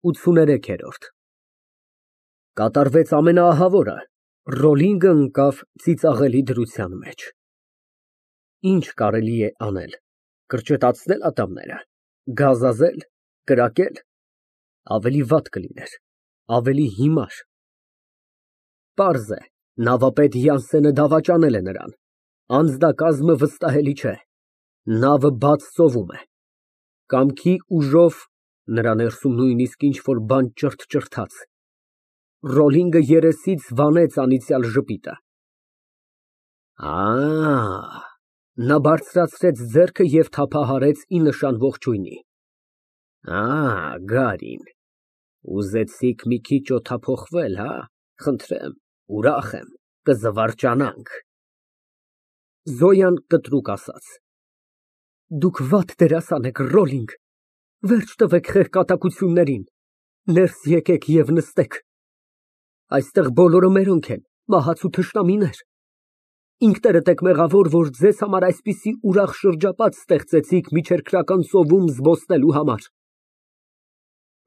83-րդ Կատարվեց ամենաահավորը, Ռոլինգը ընկավ ծիծաղելի դրության մեջ։ Ինչ կարելի է անել, կրճտացնե՞լ ատամները, գազազե՞լ, կրակե՞լ, ավելի վատ կլիներ, ավելի հիմար։ Պարզ է, նավապետ Յանսենը դավաճանել է նրան, անձնակազմը վստահելի չէ, նավը բաց ծովում է, կամքի ուժով նրա ներսում նույնիսկ ինչ֊որ բան ճրթճրթաց, Ռոլինգը երեսից վանեց անիծյալ ժպիտը։ Նա բարձրացրեց ձեռքը և թափահարեց ի նշան ողջույնի։ Գարին, ուզեցիք մի քիչ օդափոխվել, հա՞։ Խնդրեմ, ուրախ եմ, կզվարճանանք։ Զոյան կտրուկ ասաց։ Դուք վատ դերասան եք, Ռոլինգ, վերջ տվեք խեղկատակություններին, ներս եկեք և նստեք։ Այստեղ բոլորը մերոնք են, մահացու թշնամիներ։ Ինքներդ եք մեղավոր, որ ձեզ համար այսպիսի ուրախ շրջապատ ստեղծեցիք միջերկրական ծովում զբոսնելու համար։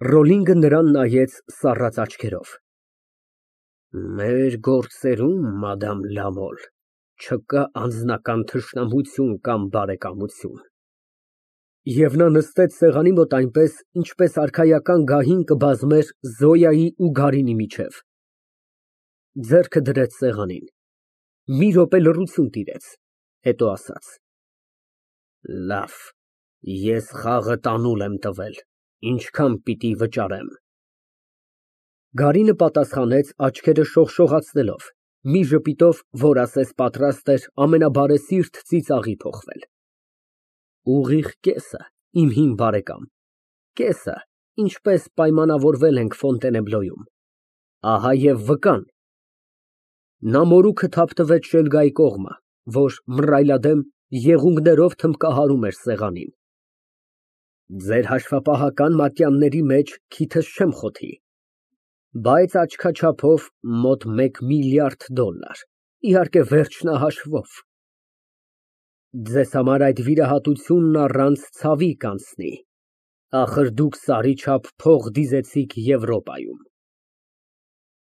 Ռոլինգը նրան նայեց սառած աչքերով։ Մեր գործերում, մադամ Լամոլ, չկա անձնական թշնամություն կամ բարեկամություն։ Եվ նա նստեց սեղանի մոտ այնպես, ինչպես արքայական գահին կբազմեր Զոյայի ու Գարինի միջև, ձեռքը դրեց սեղանին, մի րոպե լռություն տիրեց, հետո ասաց. Լավ, ես խաղը տանուլ եմ տվել, ինչքան պիտի վճարեմ։ Գարինը պատասխանեց աչքերը շողշողացնելով, մի ժպիտով, որ ասես պատրաստ էր ամենաբարեսիրտ ծիծաղի փոխվել։ Ուղիղ կեսը, իմ հին բարեկամ, կեսը, ինչպես պայմանավորվել ենք Ֆոնտենեբլոյում, ահա և վկան։ Նա մորուքը թափտվեց շելգայի կողմը, որ մռայլադեմ եղունգներով թմբկահարում էր սեղանին։ Ձեր հաշվապահական մատյանների մեջ քիթս չեմ խոթի, բայց աչքաչափով մոտ $1 միլիարդ, իհարկե վերջնահաշվով։ Ձեզ համար այդ վիրահատությունն առանց ցավի կանցնի, ախր դուք սարի չափ փող դիզեցիք Եվրոպայում։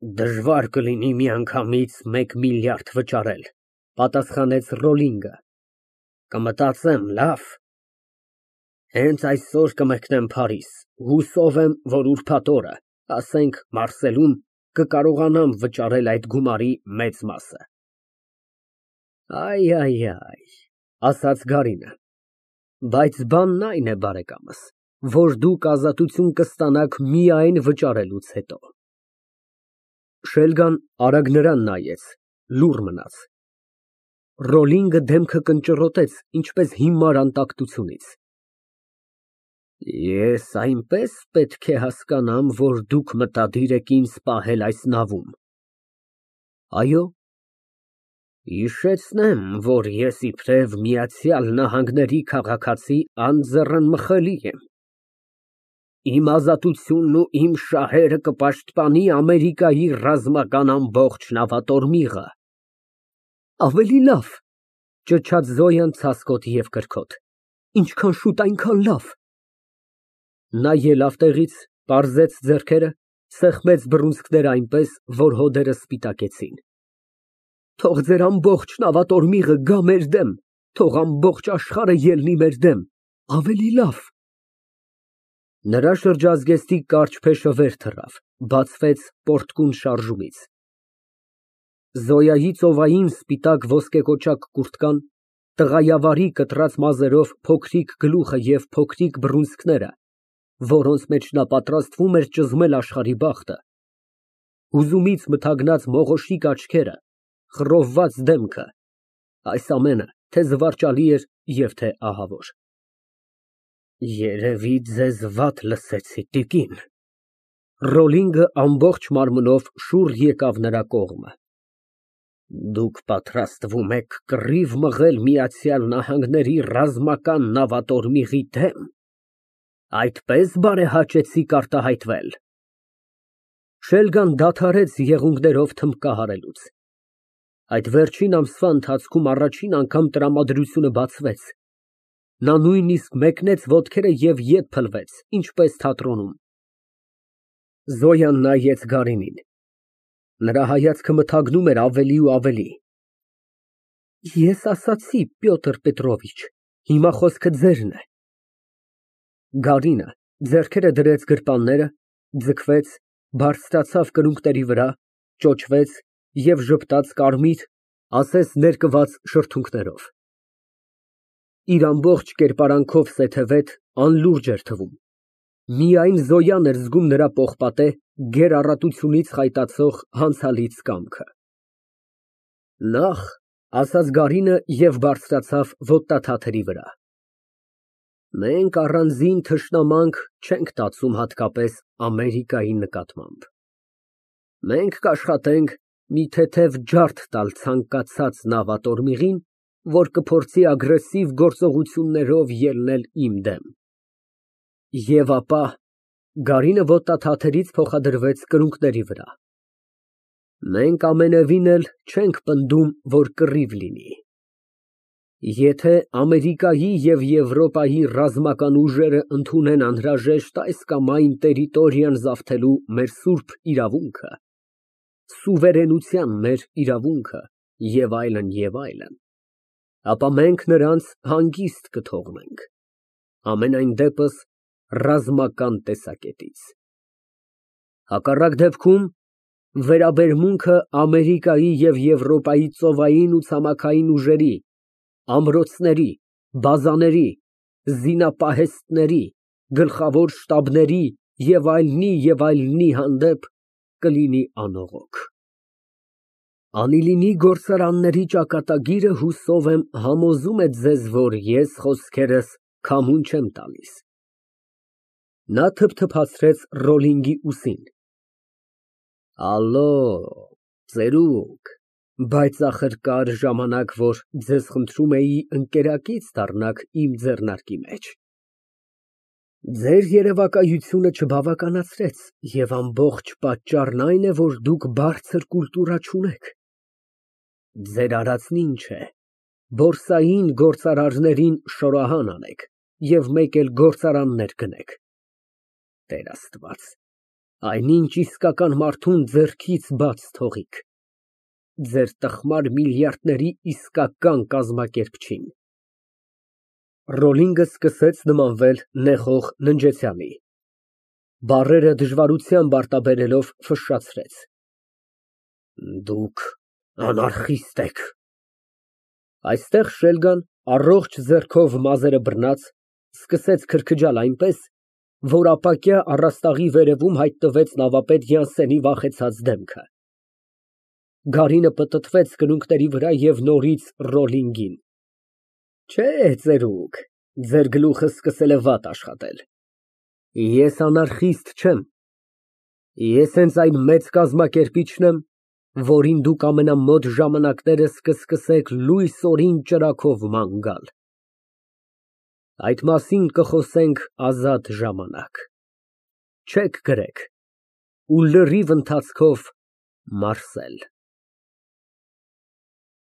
Դժվար կլինի միանգամից $1 միլիարդ վճարել, պատասխանեց Ռոլինգը։ Կմտածեմ, լավ։ Հենց այսօր կմեկնեմ Փարիզ, հուսով եմ, որ ուրբաթ օրը, ասենք Մարսելում, կկարողանամ վճարել այդ գումարի մեծ մասը։ Ասաց Գարինը, բայց բանն այն է, բարեկամս, որ դուք ազատություն կստանաք միայն վճարելուց հետո։ Շելգան արագ նրան նայեց, լուռ մնաց։ Ռոլինգը դեմքը կնճռոտեց, ինչպես հիմար անտակտությունից։ Ես այնպես պետք է հասկանամ, որ դուք մտադիր եք ինձ պահել այս նավում։ Այո։ Հիշեցնեմ, որ ես իբրև Միացյալ Նահանգների քաղաքացի անձեռնմխելի եմ։ Իմ ազատությունն ու իմ շահերը կպաշտպանի Ամերիկայի ռազմական ամբողջ նավատորմիղը։ Ավելի լավ, ճչաց Զոյան ցասկոտ և կրքոտ, ինչքան շուտ, այնքան լավ։ Նա ելավ տեղից, պարզեց ձեռքերը, սեղմեց բռունցքները այնպես, որ հոդերը սպիտակեցին։ Թող ձեր ամբողջ նավատորմիղը գա մեր դեմ, թող ամբողջ աշխարհը ելնի մեր դեմ, ավելի լավ։ Նրա շրջազգեստի կարճ փեշը վեր թռավ, բացվեց պորտկուն շարժումից։ Զոյայի ծովային սպիտակ ոսկեկոճակ կուրտկան, տղայավարի կտրած մազերով փոքրիկ գլուխը և փոքրիկ բռունցքները, որոնց մեջ նա պատրաստվում էր ճզմել աշխարհի բախտը, հուզումից մթագնած մողոշիկ աչքերը, խռովված դեմքը, այս ամենը թե զվարճալի էր և թե ահավոր։ Երևի ձեզ վատ լսեցի, տիկին։ Ռոլինգը ամբողջ մարմնով շուռ եկավ նրա կողմը։ Դուք պատրաստվում եք կռիվ մղել Միացյալ Նահանգների ռազմական նավատորմիղի դեմ, այդպես բարեհաճեցիք արտահայտվել։ Շելգան դադարեց եղունգներով թմբկահարելուց։ Այդ վերջին ամսվա ընթացքում առաջին անգամ տրամադրությունը բացվեց։ Նա նույնիսկ մեկնեց ոտքերը և ետ փլվեց, ինչպես թատրոնում։ Զոյան նայեց Գարինին։ Նրա հայացքը մթագնում էր ավելի ու ավելի։ Ես ասացի, Պյոտր Պետրովիչ, հիմա խոսքը ձերն է։ Գարինը ձեռքերը դրեց գրպանները, ձգվեց, բարձրացավ կրունկների վրա, ճոճվեց և ժպտաց կարմիր, ասես ներկված շրթունքներով։ Իր ամբողջ կերպարանքով սեթևետ, անլուրջ էր թվում։ Միայն Զոյան էր զգում նրա պողպատե, գեր առատությունից խայտացող հանցալից կամքը։ Նախ, ասաց Գարինը և բարձրացավ ոտնաթաթերի վրա։ Մենք առանձին թշնամանք չենք տածում հատկապես Ամերիկայի նկատմամբ։ Մենք կաշխատենք մի թեթև ջարդ տալ ցանկացած նավատորմիղին, որ կփորձի ագրեսիվ գործողություններով ելնել իմ դեմ։ Եվ ապա Գարինը ոտնաթաթերից փոխադրվեց կրունկների վրա։ Մենք ամենևին էլ չենք պնդում, որ կռիվ լինի։ Եթե Ամերիկայի և Եվրոպայի ռազմական ուժերը ընդունեն անհրաժեշտ այս կամ այն տերիտորիան զավթելու մեր սուրբ իրավունքը, սուվերենության մեր իրավունքը և այլն, ապա մենք նրանց հանգիստ կթողնենք, համենայն դեպս ռազմական տեսակետից։ Հակառակ դեպքում վերաբերմունքը Ամերիկայի և Եվրոպայի ծովային ու ցամաքային ուժերի, ամրոցների, բազաների, զինապահեստների, գլխավոր շտաբների և այլնի հանդեպ կլինի անողոք։ Անիլինի գործարանների ճակատագիրը, հուսով եմ, համոզում է ձեզ, որ ես խոսքերս քամուն չեմ տալիս։ Նա թփթփացրեց Ռոլինգի ուսին։ Ալո, ծերուկ, բայց ախր կար ժամանակ, որ ձեզ խնդրում էի ընկերակից դառնաք իմ ձեռնարկի մեջ։ Ձեր երևակայությունը չբավականացրեց, և ամբողջ պատճառն այն է, որ դուք բարձր կուլտուրա չունեք։ Ձեր արածն ինչ է, բորսային գործարարներին շորահան անեք և մեկ էլ գործարաններ գնեք։ Տեր Աստված, այնինչ իսկական մարդուն ձեռքից բաց թողիք, ձեր տխմար միլիարդների իսկական կազմակերպչին։ Ռոլինգը սկսեց նմանվել նեխող ննջեցյալի։ Բառերը դժվարությամբ արտաբերելով ֆշշացրեց. Դուք անարխիստ եք։ Այստեղ Շելգան, առողջ ձեռքով մազերը բռնած, սկսեց քրքջալ այնպես, որ ապակյա առաստաղի վերևում հայտնվեց նավապետ Յանսենի վախեցած դեմքը։ Գարինը պտտվեց կրունկների վրա և նորից Ռոլինգին։ Չէ, ծերուկ, ձեր գլուխը սկսել է վատ աշխատել։ Ես անարխիստ չեմ։ Ես հենց այն մեծ կազմակերպիչն եմ, որին դուք ամենամոտ ժամանակներս կսկսեք լույսորին ճրագով ման գալ։ Այդ մասին կխոսենք ազատ ժամանակ։ Չեք գրեք ու լրիվ ընթացքով՝ Մարսել։